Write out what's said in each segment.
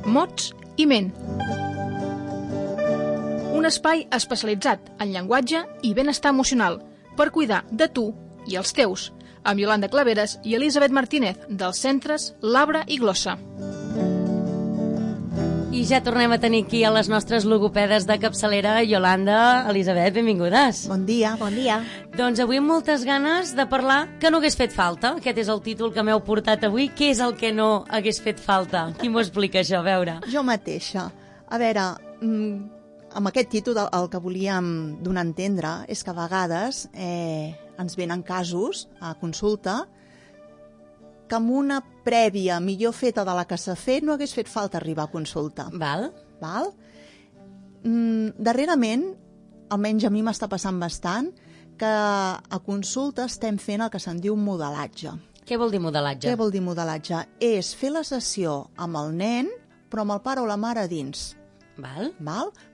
mots i ment. Un espai especialitzat en llenguatge i benestar emocional per cuidar de tu i els teus, amb Iolanda Claveres i Elisabet Martínez, dels centres Labra i Glossa. I ja tornem a tenir aquí a les nostres logopedes de capçalera, Iolanda, Elisabet, benvingudes. Bon dia. Bon dia. Doncs avui amb moltes ganes de parlar que no hagués fet falta. Aquest és el títol que m'heu portat avui. Què és el que no hagués fet falta? Qui m'ho explica, això? A veure. Jo mateixa. A veure, amb aquest títol el que volíem donar a entendre és que a vegades ens venen casos a consulta que amb una prèvia millor feta de la que s'ha fet no hagués fet falta arribar a consulta. Val. Darrerament, almenys a mi m'està passant bastant, que a consulta estem fent el que se'n diu modelatge. Què vol dir modelatge? Què vol dir modelatge? És fer la sessió amb el nen, però amb el pare o la mare a dins. Val.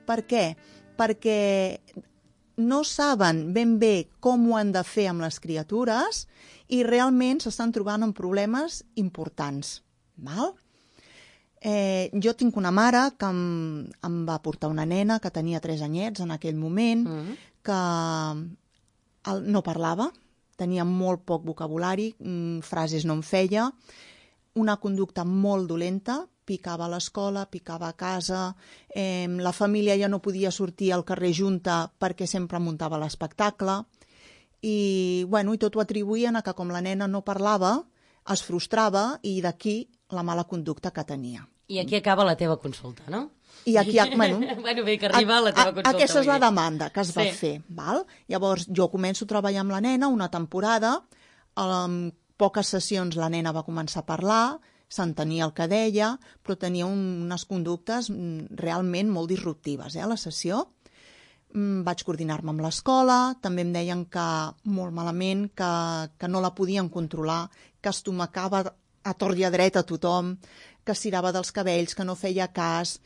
Per què? Perquè no saben ben bé com ho han de fer amb les criatures i realment s'estan trobant amb problemes importants. Jo tinc una mare que em va portar una nena que tenia 3 anyets en aquell moment, que no parlava, tenia molt poc vocabulari, frases no en feia, una conducta molt dolenta, picava a l'escola, picava a casa, la família ja no podia sortir al carrer junta perquè sempre muntava l'espectacle, i tot ho atribuïen a que com la nena no parlava, es frustrava i d'aquí la mala conducta que tenia. I aquí acaba la teva consulta, no? I aquí, bé, que arriba la teva consulta. Aquesta és la demanda que es va fer. Llavors, jo començo a treballar amb la nena una temporada, en poques sessions la nena va començar a parlar, s'entenia el que deia, però tenia unes conductes realment molt disruptives, a la sessió. Vaig coordinar-me amb l'escola, també em deien que molt malament, que no la podien controlar, que estomacava a tort i a dret a tothom, que estirava dels cabells, que no feia cas.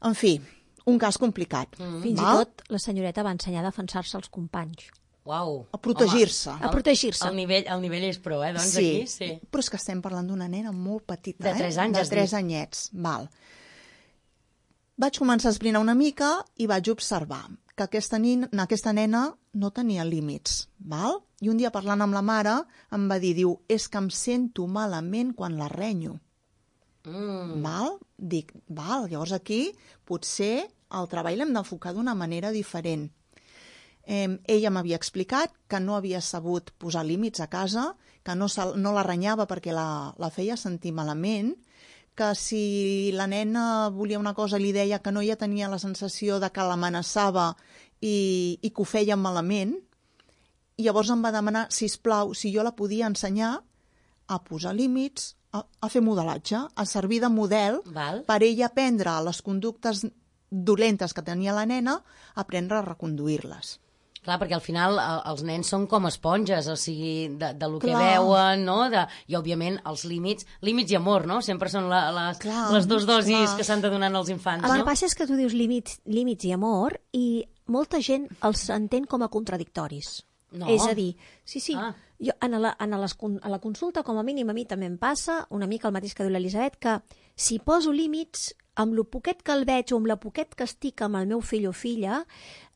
En fi, un cas complicat. Fins i tot la senyoreta va ensenyar a defensar-se als companys. Uau. A protegir-se. A protegir-se. El nivell és pro, doncs sí, aquí, sí. Però és que estem parlant d'una nena molt petita, de 3 anys, de 3 anyets. Vaig començar a esbrinar una mica i vaig observar que aquesta nena no tenia límits, I un dia parlant amb la mare em va dir, és que em sento malament quan la renyo. Dic, llavors aquí potser el treball l'hem d'enfocar d'una manera diferent. Ella m'havia explicat que no havia sabut posar límits a casa, que no la renyava perquè la feia sentir malament, que si la nena volia una cosa li deia que no, ella tenia la sensació de que l'amenaçava i que ho feia malament. I llavors em va demanar, sisplau, si jo la podia ensenyar a posar límits, a fer modelatge, a servir de model per ella aprendre les conductes dolentes que tenia la nena, aprendre a reconduir-les. Clar, perquè al final els nens són com esponges, o sigui, del que veuen, no? I, òbviament, els límits i amor, no? Sempre són les dues dosis que s'han de donar als infants, no? El que passa és que tu dius límits i amor i molta gent els entén com a contradictoris. No. És a dir, sí, jo, a la consulta, com a mínim, a mi també em passa una mica el mateix que diu l'Elisabet, que si poso límits, amb lo poquet que el veig o amb la poquet que estic amb el meu fill o filla,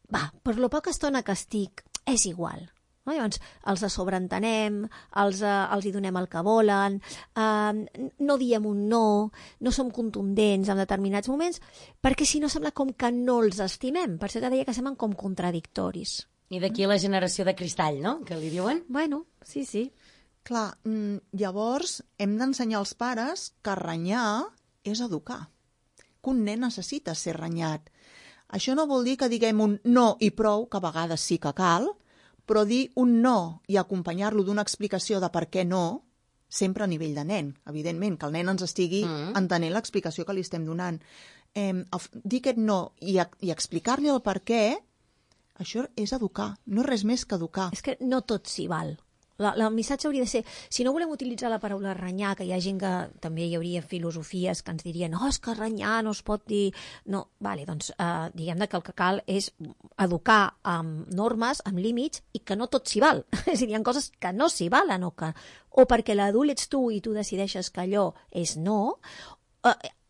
per lo poca estona que estic, és igual. Llavors, els sobreentenem, els hi donem el que volen, no diem un no som contundents en determinats moments, perquè si no sembla com que no els estimem. Per això que deia que semblen com contradictoris. I d'aquí la generació de cristall, no?, que li diuen. Bueno, sí. Clar, llavors hem d'ensenyar als pares que renyar és educar, que un nen necessita ser renyat. Això no vol dir que diguem un no i prou, que a vegades sí que cal, però dir un no i acompanyar-lo d'una explicació de per què no, sempre a nivell de nen, evidentment, que el nen ens estigui entenent l'explicació que li estem donant. Dir aquest no i explicar-li el per què, això és educar, no és res més que educar. És que no tot s'hi val. El missatge hauria de ser, si no volem utilitzar la paraula renyar, que hi ha gent que també hi hauria filosofies que ens dirien és que renyar no es pot dir... No, doncs diguem que el que cal és educar amb normes, amb límits, i que no tot s'hi val. És a dir, hi ha coses que no s'hi valen, o perquè l'adult ets tu i tu decideixes que allò és no,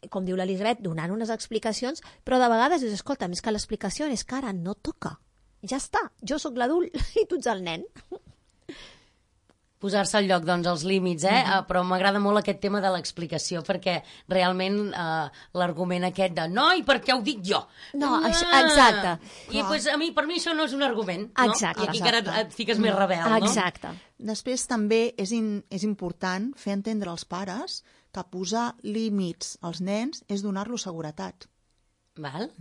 com diu l'Elisabet, donant unes explicacions, però de vegades dius, escolta, és que l'explicació és que ara no toca. Ja està, jo sóc l'adult i tu ets el nen. Posar-se al lloc, doncs, els límits, però m'agrada molt aquest tema de l'explicació, perquè realment l'argument aquest de no, i per què ho dic jo? No, exacte. I pues, per mi això no és un argument, no? Exacte. I aquí encara et fiques més rebel, no? Exacte. Després també és important fer entendre als pares que posar límits als nens és donar-los seguretat. Val?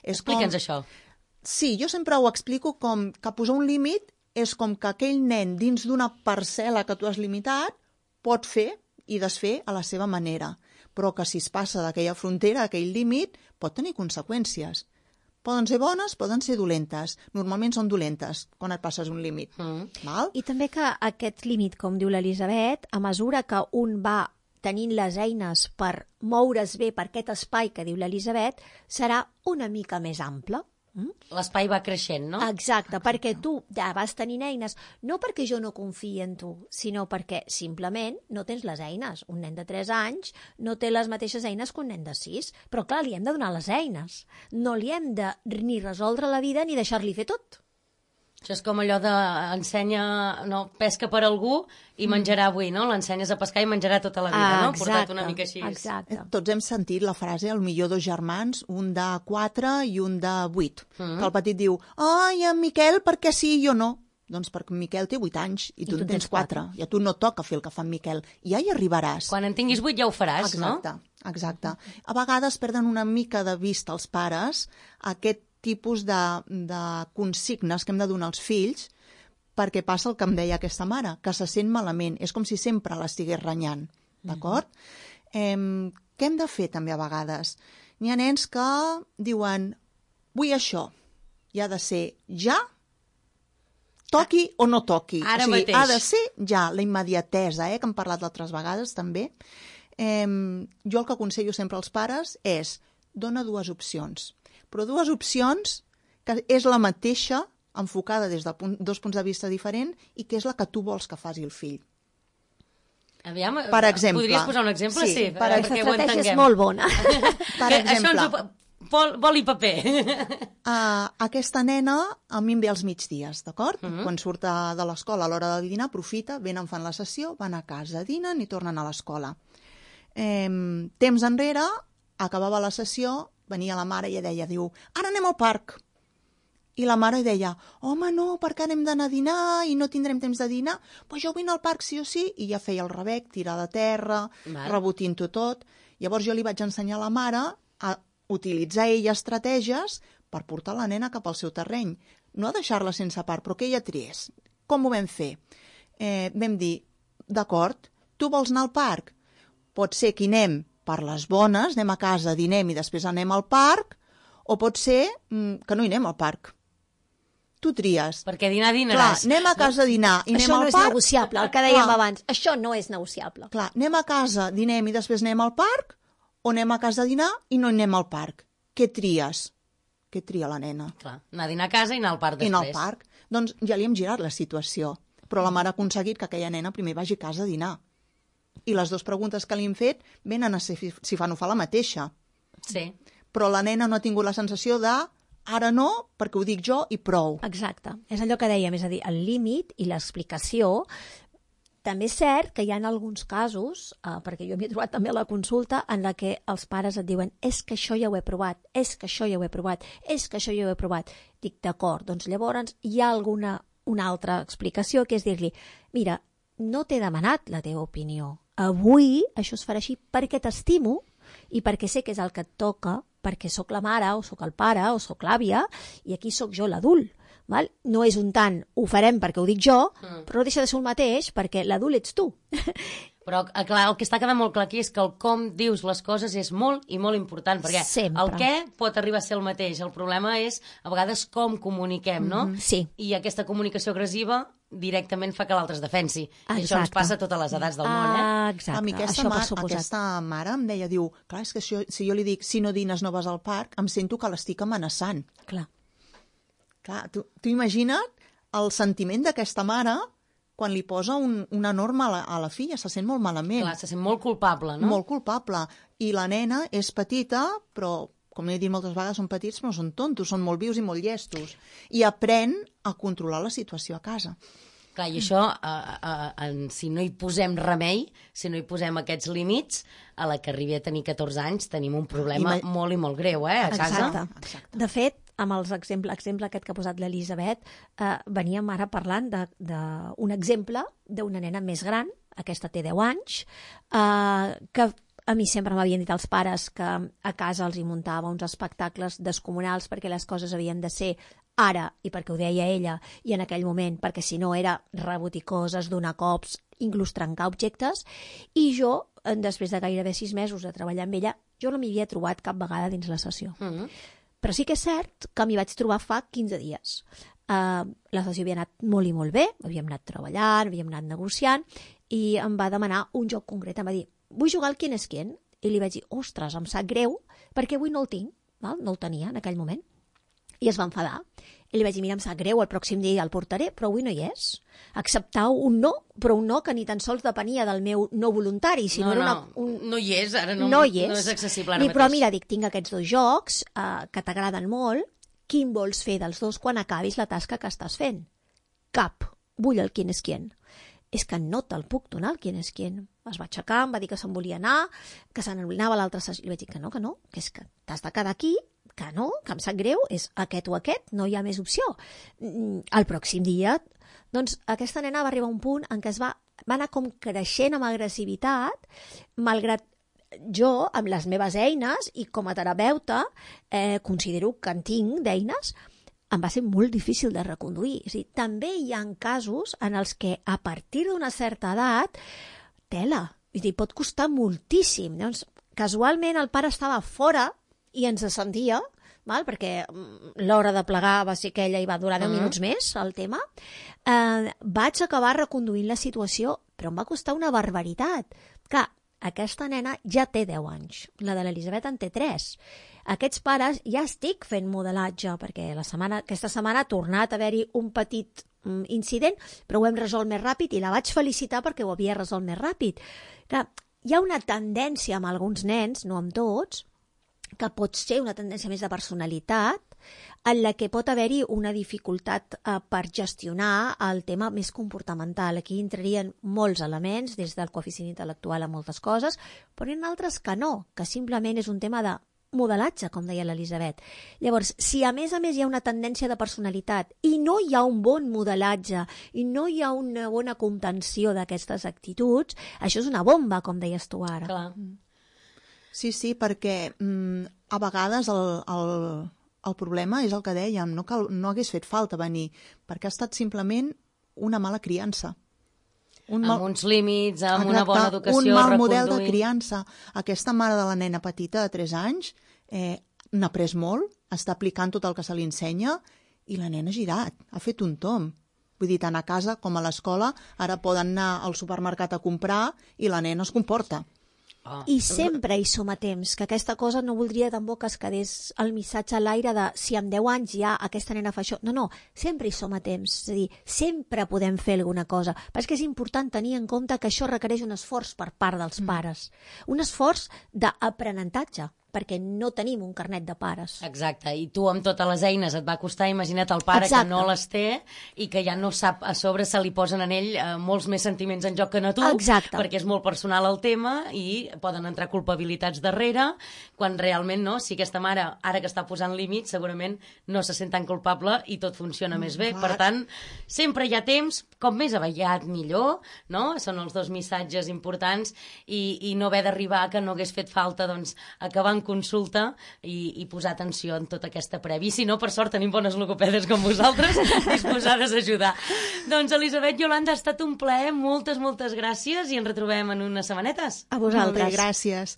Explica'ns això. Sí, jo sempre ho explico com que posar un límit és com que aquell nen dins d'una parcel·la que tu has limitat pot fer i desfer a la seva manera, però que si es passa d'aquella frontera, aquell límit, pot tenir conseqüències. Poden ser bones, poden ser dolentes. Normalment són dolentes quan et passes un límit. Val? I també que aquest límit, com diu l'Elisabet, a mesura que un va tenint les eines per moure's bé per aquest espai que diu l'Elisabet, serà una mica més ample. L'espai va creixent, no? Exacte, perquè tu ja vas tenint eines, no perquè jo no confiï en tu, sinó perquè simplement no tens les eines. Un nen de 3 anys no té les mateixes eines que un nen de 6, però clar, li hem de donar les eines. No li hem de ni resoldre la vida ni deixar-li fer tot. Això és com allò de pesca per algú i menjarà avui, no? L'ensenyes a pescar i menjarà tota la vida, no? Portat una mica així. Exacte. Tots hem sentit la frase, el millor 2 germans, un de 4 i un de 8. Que el petit diu, ai, en Miquel, per què sí i jo no? Doncs perquè en Miquel té 8 anys i tu en tens 4. I a tu no toca fer el que fa en Miquel. I ja hi arribaràs. Quan en tinguis 8 ja ho faràs, no? Exacte. A vegades perden una mica de vista els pares aquest tipus de consignes que hem de donar als fills perquè passa el que em deia aquesta mare, que se sent malament. És com si sempre l'estigués renyant. D'acord? Què hem de fer també a vegades? N'hi ha nens que diuen vull això. I ha de ser ja, toqui o no toqui. Ara mateix. Ha de ser ja, la immediatesa, que hem parlat d'altres vegades també. Jo el que aconsello sempre als pares és dona 2 opcions. Però 2 opcions que és la mateixa, enfocada des de 2 punts de vista diferents i que és la que tu vols que faci el fill. Aviam, per exemple. Podries posar un exemple? Sí, aquesta estratègia és molt bona. Per exemple. Bol i paper. Aquesta nena a mi em ve als migdies, d'acord? Quan surt de l'escola a l'hora del dinar, aprofita, venen, fan la sessió, van a casa, dinen i tornen a l'escola. Temps enrere, acabava la sessió, venia la mare i deia, ara anem al parc. I la mare deia, home, no, perquè anem d'anar a dinar i no tindrem temps de dinar. Pues jo vull anar al parc sí o sí. I ja feia el rebec, tirar de terra, rebotint-ho tot. Llavors jo li vaig ensenyar a la mare a utilitzar ella estratègies per portar la nena cap al seu terreny. No a deixar-la sense part, però que ella triés. Com ho vam fer? Vam dir, d'acord, tu vols anar al parc? Pot ser que anem per les bones, anem a casa, dinem i després anem al parc, o pot ser que no hi anem al parc. Tu tries. Perquè dinar dinaràs. Clar, anem a casa a dinar i anem al parc. Això no és negociable, el que dèiem abans. Això no és negociable. Clar, anem a casa, dinem i després anem al parc, o anem a casa a dinar i no anem al parc. Què tries? Què tria la nena? Clar, anar a dinar a casa i anar al parc després. I anar al parc. Doncs ja li hem girat la situació. Però la mare ha aconseguit que aquella nena primer vagi a casa a dinar. I les 2 preguntes que li hem fet venen a ser si fa no fa la mateixa. Sí. Però la nena no ha tingut la sensació de ara no, perquè ho dic jo i prou. Exacte. És allò que dèiem, és a dir, el límit i l'explicació. També és cert que hi ha alguns casos, perquè jo m'he trobat també a la consulta, en la que els pares et diuen és que això ja ho he provat, és que això ja ho he provat, és que això ja ho he provat. Dic, d'acord, doncs llavors hi ha una altra explicació, que és dir-li, mira, no t'he demanat la teva opinió. Avui això es farà així perquè t'estimo i perquè sé que és el que et toca, perquè sóc la mare, o sóc el pare, o sóc l'àvia, i aquí sóc jo l'adult. Val? No és un tant, ho farem perquè ho dic jo, però no deixa de ser el mateix perquè l'adult ets tu. Però, clar, el que està quedant molt clar aquí és que el com dius les coses és molt i molt important, perquè sempre. El què pot arribar a ser el mateix. El problema és, a vegades, com comuniquem, no? Sí. I aquesta comunicació agressiva directament fa que l'altre es defensi. Exacte. I això ens passa a totes les edats del món, Exacte. A mi aquesta mare em deia, clar, és que si jo li dic si no dines no vas al parc, em sento que l'estic amenaçant. Clar, tu imagina't el sentiment d'aquesta mare quan li posa una norma a la filla, se sent molt malament. Clar, se sent molt culpable, no? Molt culpable. I la nena és petita, però, com he dit moltes vegades, són petits, però no són tontos, són molt vius i molt llestos. I aprèn a controlar la situació a casa. Clar, i això, si no hi posem remei, si no hi posem aquests límits, a la que arribi a tenir 14 anys tenim un problema molt i molt greu, a casa. Exacte. De fet, amb l'exemple aquest que ha posat l'Elisabet, veníem ara parlant d'un exemple d'una nena més gran, aquesta té 10 anys, que a mi sempre m'havien dit els pares que a casa els hi muntava uns espectacles descomunals perquè les coses havien de ser ara, i perquè ho deia ella, i en aquell moment, perquè si no era rebotir coses, donar cops, inclús trencar objectes, i jo, després de gairebé 6 mesos de treballar amb ella, jo no m'hi havia trobat cap vegada dins la sessió. Però sí que és cert que m'hi vaig trobar fa 15 dies. La sessió havia anat molt i molt bé, havíem anat treballant, havíem anat negociant, i em va demanar un joc concret. Em va dir, vull jugar al Quién és quién? I li vaig dir, ostres, em sap greu, perquè avui no el tinc, val? No el tenia en aquell moment. I es va enfadar. I li vaig dir, mira, em sap greu, el pròxim dia el portaré, però avui no hi és. Acceptau un no, però un no que ni tan sols depenia del meu no voluntari. Si no hi és, ara no és accessible ara mateix. Però mira, dic, tinc aquests 2 jocs que t'agraden molt, quin vols fer dels 2 quan acabis la tasca que estàs fent? Cap. Vull el Quién és quién. És que no te'l puc donar el Quién és quién. Es va aixecar, em va dir que se'n volia anar, que se n'anava a l'altra sessió. Li vaig dir que no, que és que t'has de quedar aquí, que no, que em sap greu, és aquest o aquest, no hi ha més opció. El pròxim dia, doncs aquesta nena va arribar a un punt en què va anar com creixent amb agressivitat, malgrat jo, amb les meves eines, i com a terapeuta, considero que en tinc d'eines, em va ser molt difícil de reconduir. És a dir, també hi ha casos en els que a partir d'una certa edat, tela, és a dir, pot costar moltíssim. Llavors, casualment el pare estava fora i ens sentia, val? Perquè l'hora de plegar va ser aquella i va durar 10 minuts més, el tema. Vaig acabar reconduint la situació, però em va costar una barbaritat. Clar, aquesta nena ja té 10 anys, la de l'Elisabet en té 3. Aquests pares ja estic fent modelatge, perquè aquesta setmana ha tornat a haver-hi un petit incident, però ho hem resolt més ràpid i la vaig felicitar perquè ho havia resolt més ràpid. Clar, hi ha una tendència amb alguns nens, no amb tots, que pot ser una tendència més de personalitat, en la que pot haver-hi una dificultat per gestionar el tema més comportamental. Aquí entrarien molts elements, des del coeficient intel·lectual a moltes coses, però hi ha altres que no, que simplement és un tema de modelatge, com deia l'Elisabet. Llavors, si a més hi ha una tendència de personalitat i no hi ha un bon modelatge i no hi ha una bona contenció d'aquestes actituds, això és una bomba, com deies tu ara. Clar. Sí, perquè a vegades el problema és el que dèiem, no hagués fet falta venir, perquè ha estat simplement una mala criança. Amb uns límits, amb una bona educació, un mal model de criança. Aquesta mare de la nena petita de 3 anys n'ha après molt, està aplicant tot el que se li ensenya i la nena ha girat, ha fet un tomb. Vull dir, tant a casa com a l'escola, ara poden anar al supermercat a comprar i la nena es comporta. I sempre hi som a temps, que aquesta cosa no voldria tampoc que es quedés el missatge a l'aire de si amb 10 anys ja aquesta nena fa això. No, sempre hi som a temps, és a dir, sempre podem fer alguna cosa. Però és que és important tenir en compte que això requereix un esforç per part dels pares, un esforç d'aprenentatge, perquè no tenim un carnet de pares. Exacte, i tu amb totes les eines et va costar, imagina't el pare que no les té i que ja no sap, a sobre se li posen en ell molts més sentiments en joc que a tu, perquè és molt personal el tema i poden entrar culpabilitats darrere, quan realment no, si aquesta mare, ara que està posant límits, segurament no se sent tan culpable i tot funciona més bé. Per tant, sempre hi ha temps, com més aviat millor, no? Són els 2 missatges importants i no haver d'arribar que no hagués fet falta, doncs, acabar en consulta i posar atenció en tota aquesta prèvia. I si no, per sort, tenim bones logopedes com vosaltres, disposades a ajudar. Doncs, Elisabet, Iolanda, ha estat un plaer, moltes gràcies i ens retrobem en unes setmanetes. A vosaltres. Molt bé, gràcies.